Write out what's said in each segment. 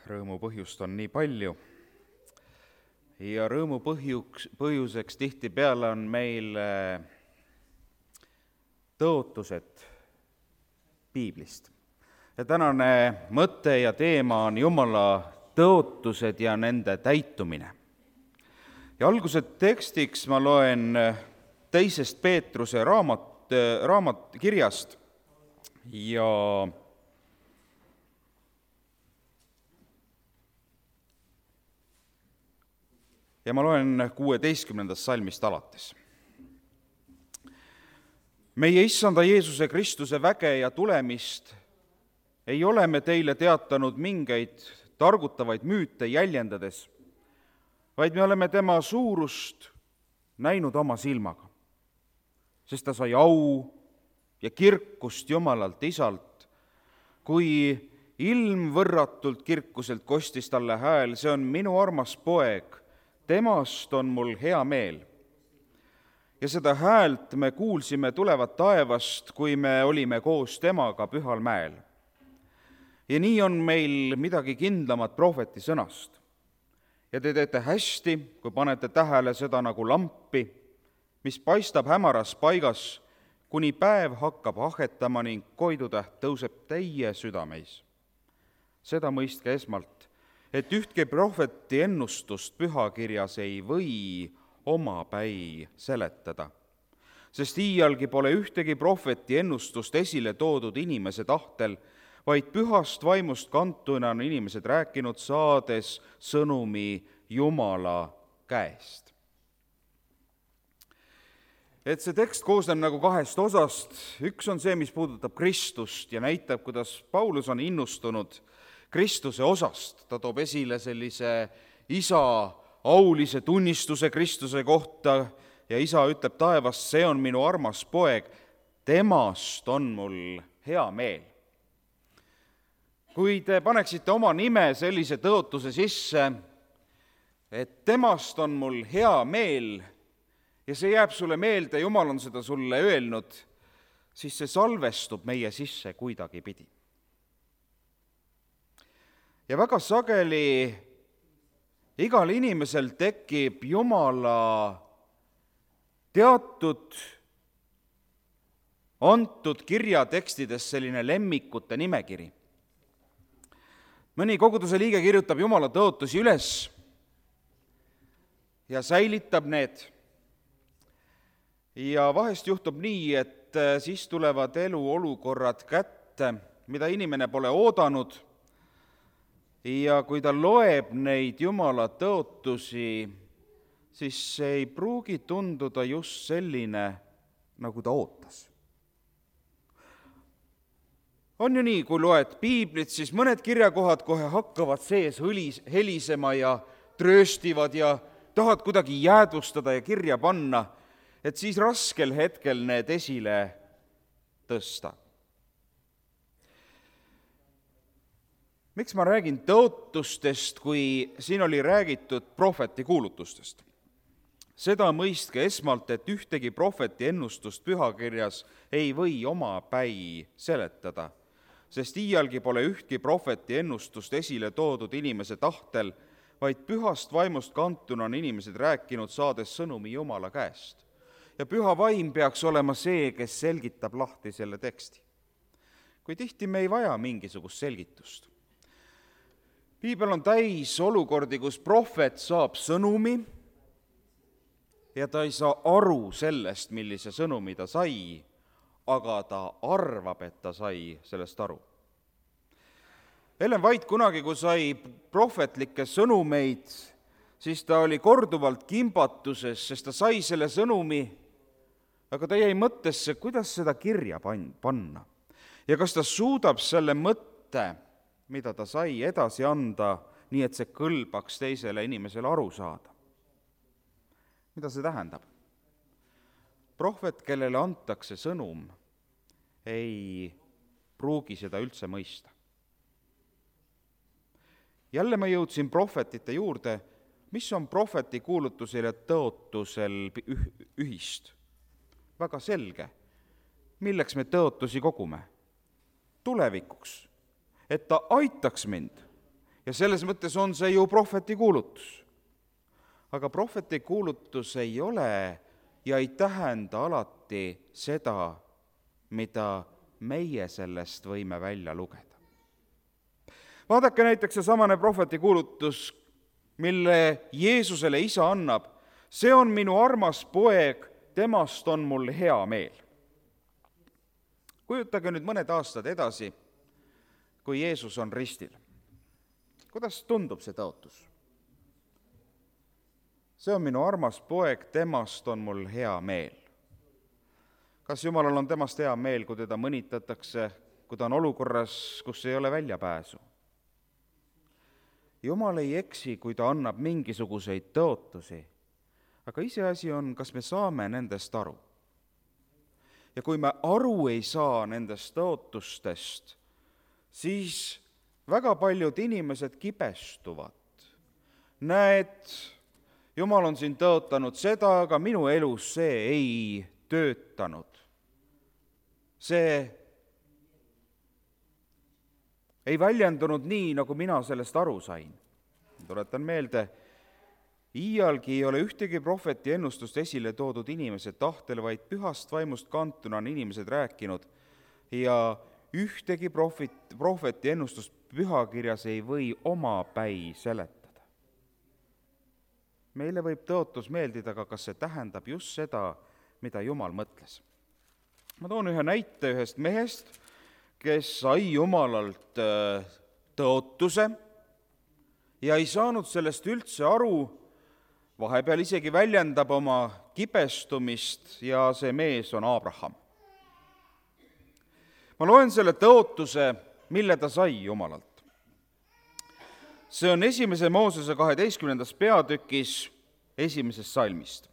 rõõmu põhjust on nii palju ja rõõmu põhjuseks tihtipeale on meil tõotused piiblist. Ja tänane mõte ja teema on Jumala tõotused ja nende täitumine. Ja alguse tekstiks ma loen 2. Peetruse kirjast ja ma loen 16. salmist alates. Meie Issanda Jeesuse Kristuse väge ja tulemist ei ole me teile teatanud mingeid targutavaid müüte jäljendades, vaid me oleme tema suurust näinud oma silmaga, sest ta sai au ja kirkust Jumalalt Isalt, kui ilmvõrratult kirkuselt kostis talle hääl, see on minu armas poeg, temast on mul hea meel. Ja seda häält me kuulsime tulevat taevast, kui me olime koos temaga Pühal mäel. Ja nii on meil midagi kindlamat prohveti sõnast. Ja te teete hästi, kui panete tähele seda nagu lampi, mis paistab hämaras paigas, kuni päev hakkab ahetama ning koidutäht tõuseb teie südameis. Seda mõistke esmalt, et ühtki prohveti ennustust pühakirjas ei või omapäi seletada, sest iialgi pole ühtegi prohveti ennustust esile toodud inimese tahtel, vaid pühast vaimust kantuna on inimesed rääkinud, saades sõnumi Jumala käest. Et see tekst koosneb nagu 2 osast. Üks on see, mis puudutab Kristust ja näitab, kuidas Paulus on innustunud Kristuse osast. Ta toob esile sellise isa aulise tunnistuse Kristuse kohta ja isa ütleb taevast, see on minu armas poeg, temast on mul hea meel. Kui te paneksite oma nime sellise tõotuse sisse, et temast on mul hea meel ja see jääb sulle meelde, Jumal on seda sulle öelnud, siis see salvestub meie sisse kuidagipidi. Ja väga sageli igal inimesel tekib Jumala teatud antud kirjatekstides selline lemmikute nimekiri. Mõni koguduse liige kirjutab Jumala tõotusi üles ja säilitab need. Ja vahest juhtub nii, et siis tulevad eluolukorrad kätte, mida inimene pole oodanud, ja kui ta loeb neid Jumala tõotusi, siis see ei pruugi tunduda just selline, nagu ta ootas. On ju nii, kui loed piiblit, siis mõned kirjakohad kohe hakkavad sees helisema ja trööstivad ja tahad kuidagi jäädvustada ja kirja panna, et siis raskel hetkel need esile tõsta. Miks ma räägin tõotustest, kui siin oli räägitud prohveti kuulutustest? Seda mõistke esmalt, et ühtegi prohveti ennustust pühakirjas ei või omapäi seletada, sest iialgi pole ühtki prohveti ennustust esile toodud inimese tahtel, vaid pühast vaimust kantuna on inimesed rääkinud, saades sõnumi Jumala käest. Ja püha vaim peaks olema see, kes selgitab lahti selle teksti. Kui tihti me ei vaja mingisugust selgitust. Piibel on täis olukordi, kus prohvet saab sõnumi ja ta ei saa aru sellest, millise sõnumi ta sai, aga ta arvab, et ta sai sellest aru. Ellen White kunagi, kui sai prohvetlikke sõnumeid, siis ta oli korduvalt kimbatuses, sest ta sai selle sõnumi, aga ta jäi mõttesse, kuidas seda kirja panna. Ja kas ta suudab selle mõtte, mida ta sai edasi anda, nii et see kõlbaks teisele inimesele aru saada. Mida see tähendab? Prohvet, kellele antakse sõnum, ei pruugi seda üldse mõista. Jälle ma jõudsin prohvetite juurde, mis on prohveti kuulutusel ja tõotusel ühist. Väga selge, milleks me tõotusi kogume? Tulevikuks, et ta aitaks mind ja selles mõttes on see ju prohveti kuulutus. Aga prohveti kuulutus ei ole ja ei tähenda alati seda, mida meie sellest võime välja lugeda. Vaadake näiteks seesamane prohveti kuulutus, mille Jeesusele isa annab. See on minu armas poeg, temast on mul hea meel. Kujutage nüüd mõned aastad edasi, kui Jeesus on ristil. Kuidas tundub see tõotus? See on minu armas poeg, temast on mul hea meel. Kas Jumalal on temast hea meel, kui teda mõnitatakse, kui ta on olukorras, kus ei ole väljapääsu? Jumal ei eksi, kui ta annab mingisuguseid tõotusi, aga iseasi on, kas me saame nendest aru. Ja kui me aru ei saa nendest tõotustest, siis väga paljud inimesed kibestuvad. Näed, Jumal on siin tõotanud seda, aga minu elus see ei töötanud. See ei väljendunud nii, nagu mina sellest aru sain. Tuletan meelde, iialgi ei ole ühtegi prohveti ennustust esile toodud inimese tahtel, vaid pühast vaimust kantuna on inimesed rääkinud ja ühtegi prohveti ennustust pühakirjas ei või omapäi seletada. Meile võib tõotus meeldida, aga kas see tähendab just seda, mida Jumal mõtles? Ma toon ühe näite ühest mehest, kes sai Jumalalt tõotuse ja ei saanud sellest üldse aru, vahepeal isegi väljendab oma kibestumist ja see mees on Abraham. Ma loen selle tõotuse, mille ta sai Jumalalt. See on 1. Moosese 12. peatükis 1. salmist.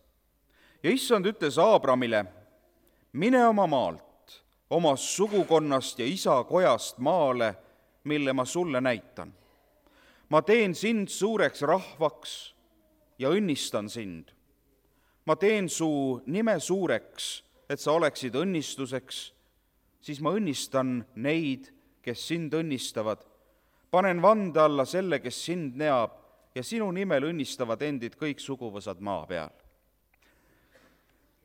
Ja issand ütles Abramile, mine oma maalt, oma sugukonnast ja isa kojast maale, mille ma sulle näitan. Ma teen sind suureks rahvaks ja õnnistan sind. Ma teen su nime suureks, et sa oleksid õnnistuseks, siis ma õnnistan neid, kes sind õnnistavad. Panen vande alla selle, kes sind neab, ja sinu nimel õnnistavad endid kõik suguvõsad maa peal.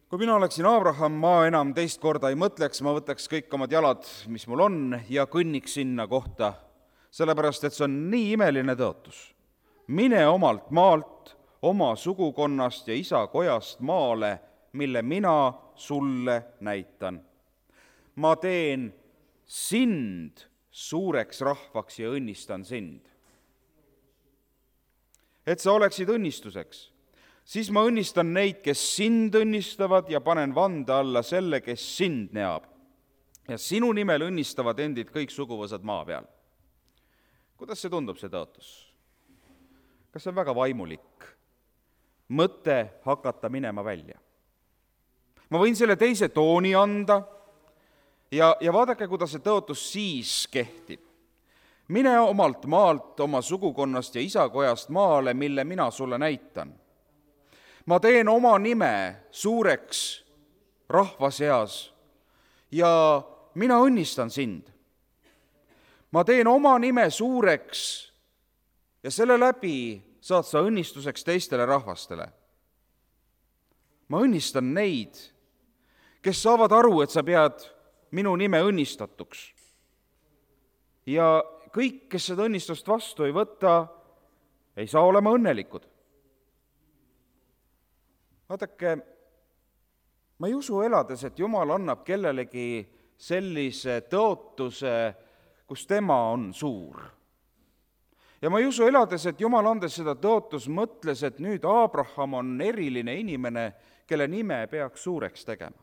Kui mina oleksin Abraham, ma enam teist korda ei mõtleks, ma võtaks kõik omad jalad, mis mul on, ja kõnniks sinna kohta, sellepärast, et see on nii imeline tõotus. Mine omalt maalt, oma sugukonnast ja isa kojast maale, mille mina sulle näitan. Ma teen sind suureks rahvaks ja õnnistan sind. Et sa oleksid õnnistuseks, siis ma õnnistan neid, kes sind õnnistavad ja panen vande alla selle, kes sind neab. Ja sinu nimel õnnistavad endid kõik suguvõsad maa peal. Kuidas see tundub, see tõotus? Kas see on väga vaimulik mõte hakata minema välja? Ma võin selle teise tooni anda ja vaadake, kuidas see tõotus siis kehtib. Mine omalt maalt, oma sugukonnast ja isakojast maale, mille mina sulle näitan. Ma teen oma nime suureks rahva seas ja mina õnnistan sind. Ma teen oma nime suureks ja selle läbi saad sa õnnistuseks teistele rahvastele. Ma õnnistan neid, kes saavad aru, et sa pead minu nime õnnistatuks. Ja kõik, kes seda õnnistust vastu ei võta, ei saa olema õnnelikud. Vaadake, ma ei usu elades, et Jumal annab kellelegi sellise tõotuse, kus tema on suur. Ja ma ei usu elades, et Jumal andes seda tõotus mõtles, et nüüd Abraham on eriline inimene, kelle nime peaks suureks tegema.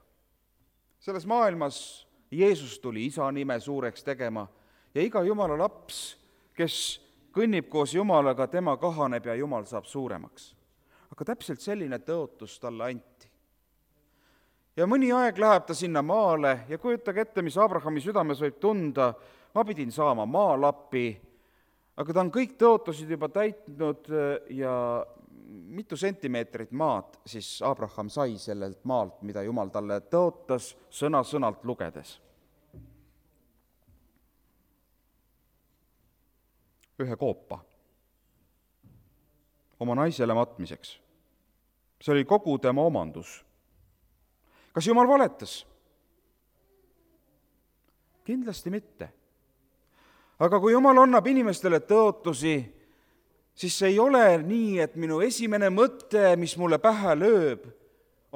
Selles maailmas Jeesus tuli isa nime suureks tegema ja iga Jumala laps, kes kõnnib koos Jumalaga, tema kahaneb ja Jumal saab suuremaks. Aga täpselt selline tõotus talle anti. Ja mõni aeg läheb ta sinna maale ja kujutage ette, mis Abrahami südames võib tunda, ma pidin saama maalapi, aga ta on kõik tõotusid juba täitnud ja mitu sentimeetrit maad siis Abraham sai sellelt maalt, mida Jumal talle tõotas sõna-sõnalt lugedes. Ühe koopa oma naisele matmiseks. See oli kogu tema omandus. Kas Jumal valetas? Kindlasti mitte. Aga kui Jumal annab inimestele tõotusi, siis see ei ole nii, et minu esimene mõte, mis mulle pähe lööb,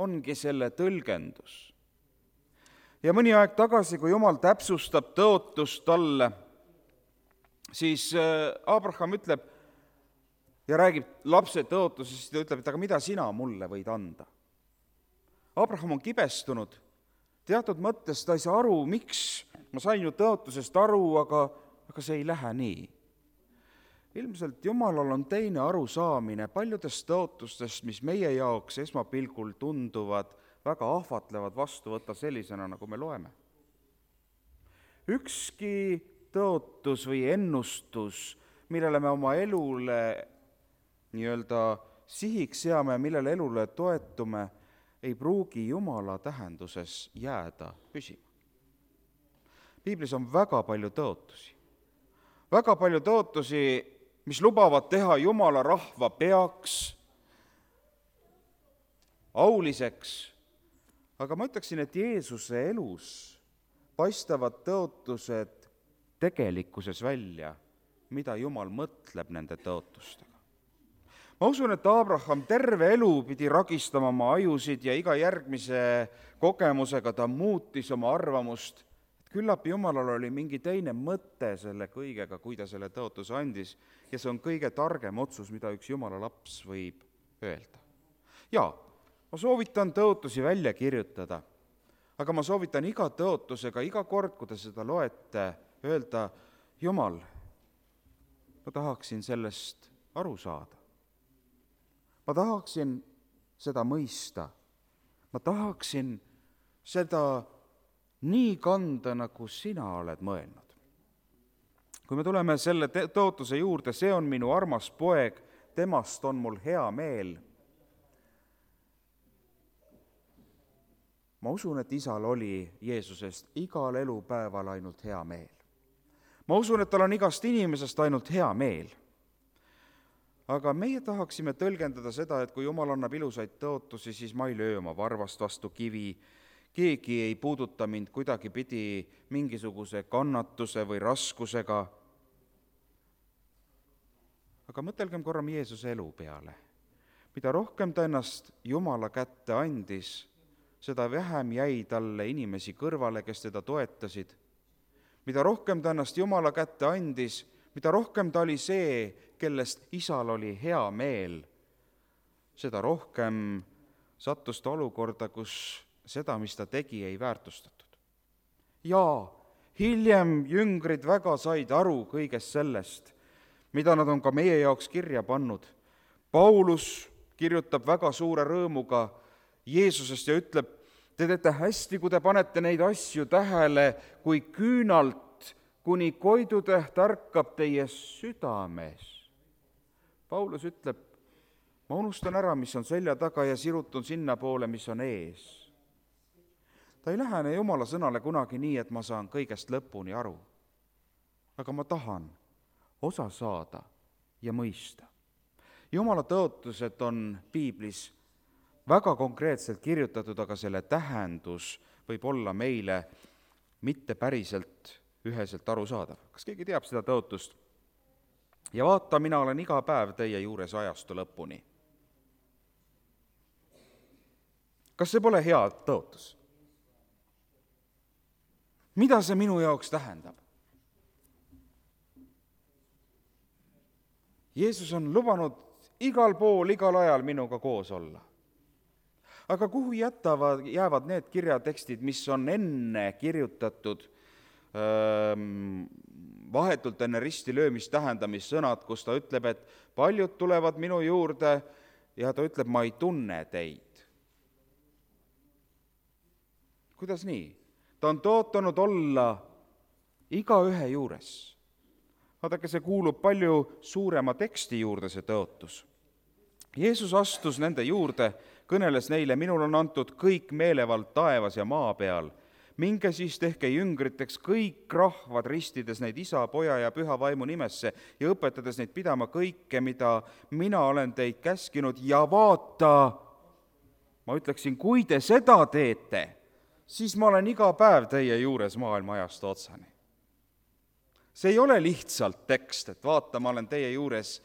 ongi selle tõlgendus. Ja mõni aeg tagasi, kui Jumal täpsustab tõotust talle, siis Abraham ütleb ja räägib lapse tõotusest, ta ütleb, et aga mida sina mulle võid anda? Abraham on kibestunud, teatud mõttes ta ei saa aru, miks ma sain ju tõotusest aru, aga see ei lähe nii. Ilmselt Jumalal on teine arusaamine paljudest tõotustest, mis meie jaoks esmapilgul tunduvad väga ahvatlevad vastu võtta sellisena, nagu me loeme. Ükski tõotus või ennustus, millele me oma elule sihiks seame, millele elule toetume, ei pruugi Jumala tähenduses jääda püsima. Piiblis on väga palju tõotusi. Väga palju tõotusi, mis lubavad teha Jumala rahva peaks, auliseks, aga ma ütleksin, et Jeesuse elus paistavad tõotused tegelikkuses välja, mida Jumal mõtleb nende tõotustega. Ma usun, et Abraham terve elu pidi ragistama oma ajusid ja iga järgmise kogemusega ta muutis oma arvamust, et küllap Jumalal oli mingi teine mõte selle kõigega, kui ta selle tõotuse andis, ja see on kõige targem otsus, mida üks Jumala laps võib öelda. Jaa, ma soovitan tõotusi välja kirjutada, aga ma soovitan iga tõotusega, iga kord, kui te seda loete, öelda, Jumal, ma tahaksin sellest aru saada. Ma tahaksin seda mõista. Ma tahaksin seda nii kanda, nagu sina oled mõelnud. Kui me tuleme selle tõotuse juurde, see on minu armas poeg, temast on mul hea meel. Ma usun, et isal oli Jeesusest igal elupäeval ainult hea meel. Ma usun, et tal on igast inimesest ainult hea meel. Aga meie tahaksime tõlgendada seda, et kui Jumal annab ilusaid tõotusi, siis ma ei löö oma varvast vastu kivi, keegi ei puuduta mind kuidagi pidi mingisuguse kannatuse või raskusega. Aga mõtelgem korra Jeesuse elu peale. Mida rohkem ta ennast Jumala kätte andis, seda vähem jäi talle inimesi kõrvale, kes teda toetasid. Mida rohkem ta ennast Jumala kätte andis, mida rohkem ta oli see, kellest isal oli hea meel, seda rohkem sattus ta olukorda, kus seda, mis ta tegi, ei väärtustatud. Ja hiljem jüngrid väga said aru kõigest sellest, mida nad on ka meie jaoks kirja pannud. Paulus kirjutab väga suure rõõmuga Jeesusest ja ütleb, te teete hästi, kui te panete neid asju tähele, kui küünalt kuni koidutäht ärkab teie südames. Paulus ütleb, ma unustan ära, mis on selja taga ja sirutun sinna poole, mis on ees. Ta ei lähene Jumala sõnale kunagi nii, et ma saan kõigest lõpuni aru. Aga ma tahan osa saada ja mõista. Jumala tõotused on Piiblis väga konkreetselt kirjutatud, aga selle tähendus võib olla meile mitte päriselt üheselt aru saadav. Kas keegi teab seda tõotust? Ja vaata, mina olen iga päev teie juures ajastu lõpuni. Kas see pole hea tõotus? Mida see minu jaoks tähendab? Jeesus on lubanud igal pool, igal ajal minuga koos olla. Aga kuhu jäävad need kirjatekstid, mis on enne kirjutatud vahetult enne risti löömist tähendamissõnad, kus ta ütleb, et paljud tulevad minu juurde ja ta ütleb, ma ei tunne teid. Kuidas nii? Ta on tõotanud olla igaühe juures. Vaadake, see kuulub palju suurema teksti juurde, see tõotus. Jeesus astus nende juurde, kõneles neile, minul on antud kõik meelevald taevas ja maa peal. minge siis tehke jüngriteks kõik rahvad, ristides neid Isa, Poja ja Püha Vaimu nimesse ja õpetades neid pidama kõike, mida mina olen teid käskinud, ja vaata, ma ütleksin, kui te seda teete, siis ma olen iga päev teie juures maailma ajastu otsani. See ei ole lihtsalt tekst, et vaata, ma olen teie juures.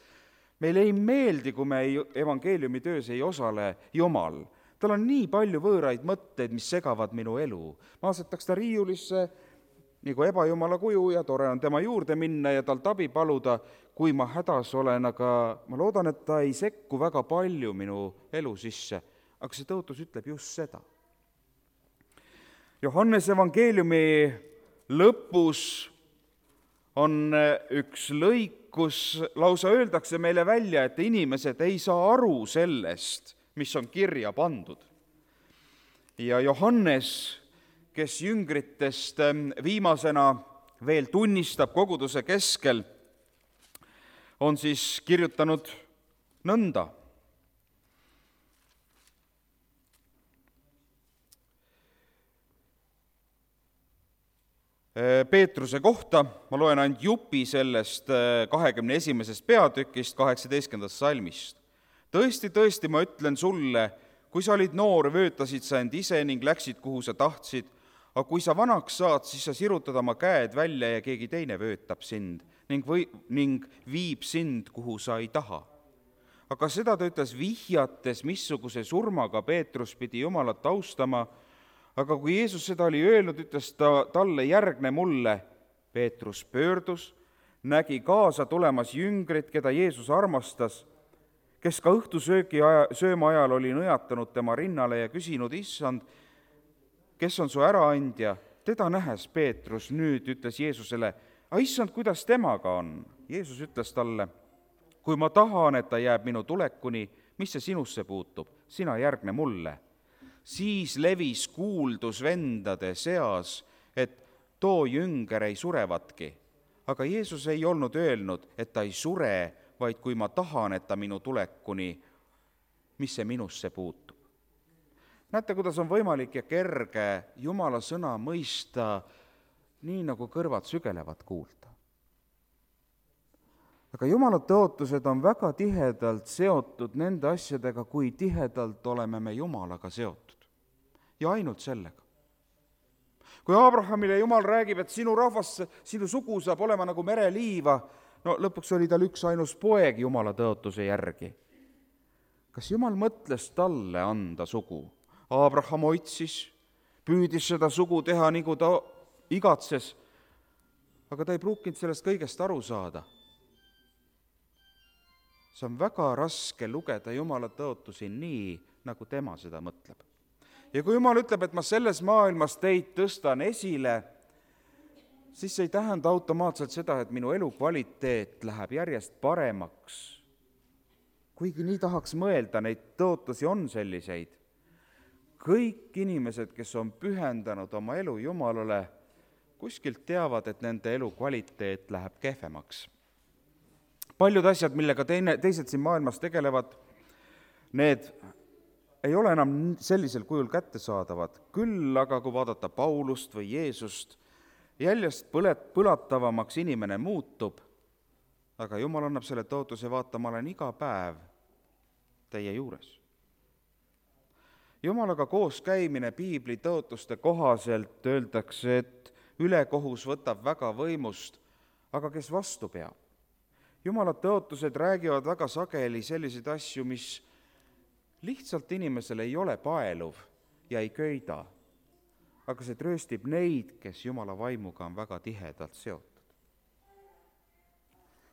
Meile ei meeldi, kui me evangeeliumi töös ei osale Jumal. Tal on nii palju võõraid mõtteid, mis segavad minu elu. Ma asetaks ta riiulisse nagu ebajumala kuju ja tore on tema juurde minna ja tal tabi paluda, kui ma hädas olen, aga ma loodan, et ta ei sekku väga palju minu elu sisse. Aga see tõotus ütleb just seda. Johannes evangeeliumi lõpus on üks lõik, kus lausa öeldakse meile välja, et inimesed ei saa aru sellest, mis on kirja pandud. Ja Johannes, kes jüngritest viimasena veel tunnistab koguduse keskel, on siis kirjutanud nõnda. Peetruse kohta ma loen ainult jupi sellest 21. peatükist 18. salmist. Tõesti, tõesti, ma ütlen sulle, kui sa olid noor, vöötasid sa end ise ning läksid, kuhu sa tahtsid, aga kui sa vanaks saad, siis sa sirutad oma käed välja ja keegi teine vöötab sind ning viib sind, kuhu sa ei taha. Aga seda ta ütles vihjates, missuguse surmaga Peetrus pidi Jumalat austama, aga kui Jeesus seda oli öelnud, ütles ta talle, järgne mulle. Peetrus pöördus, nägi kaasa tulemas jüngrit, keda Jeesus armastas, kes ka õhtusööma ajal oli nõjatanud tema rinnale ja küsinud, issand, kes on su äraandja? Teda nähes Peetrus nüüd ütles Jeesusele, issand, kuidas temaga on? Jeesus ütles talle, kui ma tahan, et ta jääb minu tulekuni, mis see sinusse puutub? Sina järgne mulle. Siis levis kuuldus vendade seas, et too jünger ei surevatki. Aga Jeesus ei olnud öelnud, et ta ei sure, vaid kui ma tahan, et ta minu tulekuni, mis see minusse puutub. Näete, kuidas on võimalik ja kerge Jumala sõna mõista nii, nagu kõrvad sügelevad kuulda. Aga Jumala tõotused on väga tihedalt seotud nende asjadega, kui tihedalt oleme me Jumalaga seotud. Ja ainult sellega. Kui Abrahamile Jumal räägib, et sinu rahvas, sinu sugu saab olema nagu mereliiva, no lõpuks oli tal üks ainus poeg Jumala tõotuse järgi. Kas Jumal mõtles talle anda sugu? Abraham otsis, püüdis seda sugu teha, nagu ta igatses, aga ta ei pruukinud sellest kõigest aru saada. See on väga raske lugeda Jumala tõotusi nii, nagu tema seda mõtleb. Ja kui Jumal ütleb, et ma selles maailmas teid tõstan esile, siis see ei tähenda automaatselt seda, et minu elukvaliteet läheb järjest paremaks. Kuigi nii tahaks mõelda, neid tõotusi on selliseid. Kõik inimesed, kes on pühendanud oma elu Jumalale, kuskilt teavad, et nende elukvaliteet läheb kehvemaks. Paljud asjad, millega teised siin maailmas tegelevad, need ei ole enam sellisel kujul kättesaadavad. Küll aga, kui vaadata Paulust või Jeesust, jäljest põlatavamaks inimene muutub, aga Jumal annab selle tõotuse, vaata, ma olen iga päev teie juures. Jumalaga koos käimine piibli tõotuste kohaselt öeldakse, et ülekohus võtab väga võimust, aga kes vastu peab? Jumala tõotused räägivad väga sageli selliseid asju, mis lihtsalt inimesele ei ole paeluv ja ei köida, aga see trööstib neid, kes Jumala vaimuga on väga tihedalt seotud.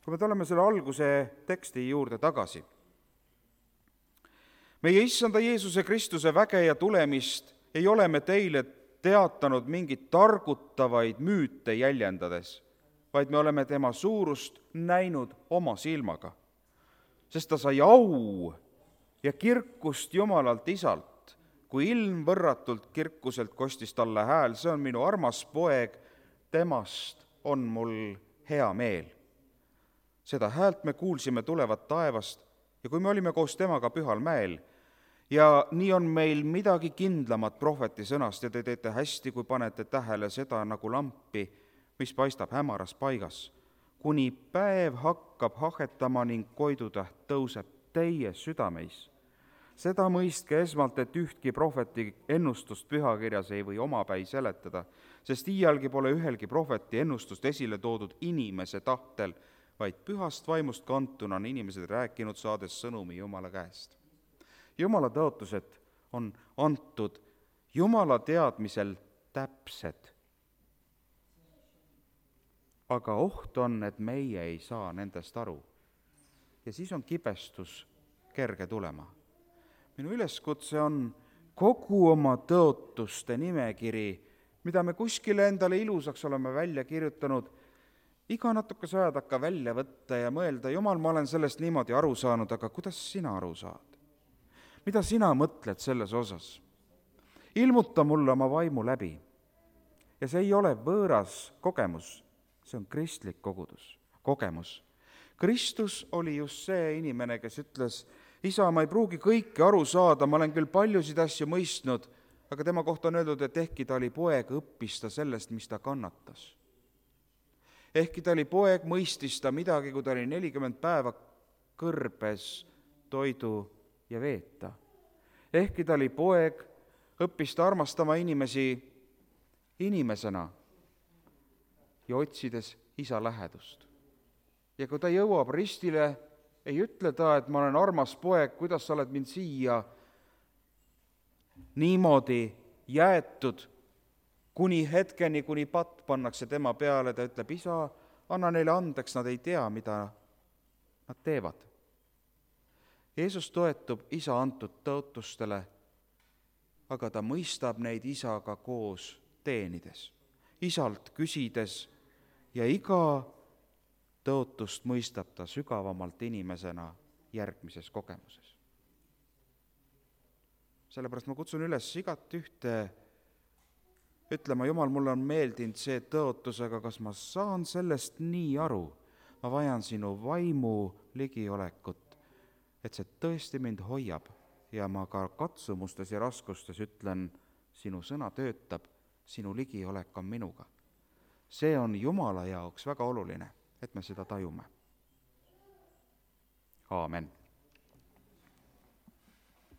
Kui me tuleme selle alguse teksti juurde tagasi, meie issanda Jeesuse Kristuse väge ja tulemist ei ole me teile teatanud mingit targutavaid müüte jäljendades, vaid me oleme tema suurust näinud oma silmaga, sest ta sai au ja kirkust Jumalalt Isalt, kui ilmvõrratult kirkuselt kostis talle hääl, see on minu armas poeg, temast on mul hea meel. Seda häält me kuulsime tulevat taevast ja kui me olime koos temaga Pühal mäel ja nii on meil midagi kindlamat prohveti sõnast ja te teete hästi, kui panete tähele seda nagu lampi, mis paistab hämaras paigas, kuni päev hakkab hahetama ning koidutäht tõuseb teie südameis. Seda mõistke esmalt, et ühtki prohveti ennustust pühakirjas ei või omapäi seletada, sest iialgi pole ühelgi prohveti ennustust esile toodud inimese tahtel, vaid pühast vaimust kantuna on inimesed rääkinud, saades sõnumi Jumala käest. Jumala tõotused on antud Jumala teadmisel täpsed. Aga oht on, et meie ei saa nendest aru. Ja siis on kibestus kerge tulema. Minu üleskutse on kogu oma tõotuste nimekiri, mida me kuskile endale ilusaks oleme välja kirjutanud, iga natukese aja takka välja võtta ja mõelda, Jumal, ma olen sellest niimoodi aru saanud, aga kuidas sina aru saad? Mida sina mõtled selles osas? Ilmuta mulle oma vaimu läbi. Ja see ei ole võõras kogemus, see on kristlik kogemus. Kristus oli just see inimene, kes ütles, Isa, ma ei pruugi kõike aru saada, ma olen küll paljusid asju mõistnud, aga tema kohta on öeldud, et ehkki ta oli poeg, õppis ta sellest, mis ta kannatas. Ehkki ta oli poeg, mõistis ta midagi, kui ta oli 40 päeva kõrbes toidu ja veeta. Ehkki ta oli poeg, õppis ta armastama inimesi inimesena ja otsides isa lähedust. Ja kui ta jõuab ristile, ei ütle ta, et ma olen armas poeg, kuidas sa oled mind siia niimoodi jäetud, kuni hetkeni, kuni patt pannakse tema peale, ta ütleb, isa, anna neile andeks, nad ei tea, mida nad teevad. Jeesus toetub isa antud tõotustele, aga ta mõistab neid isaga koos teenides, isalt küsides ja iga tõotust mõistab ta sügavamalt inimesena järgmises kogemuses. Sellepärast ma kutsun üles igat ühte ütlema, Jumal, mulle on meeldinud see tõotus, aga kas ma saan sellest nii aru? Ma vajan sinu vaimu ligiolekut, et see tõesti mind hoiab ja ma ka katsumustes ja raskustes ütlen, sinu sõna töötab, sinu ligiolek on minuga. See on Jumala jaoks väga oluline, et me seda tajume. Aamen.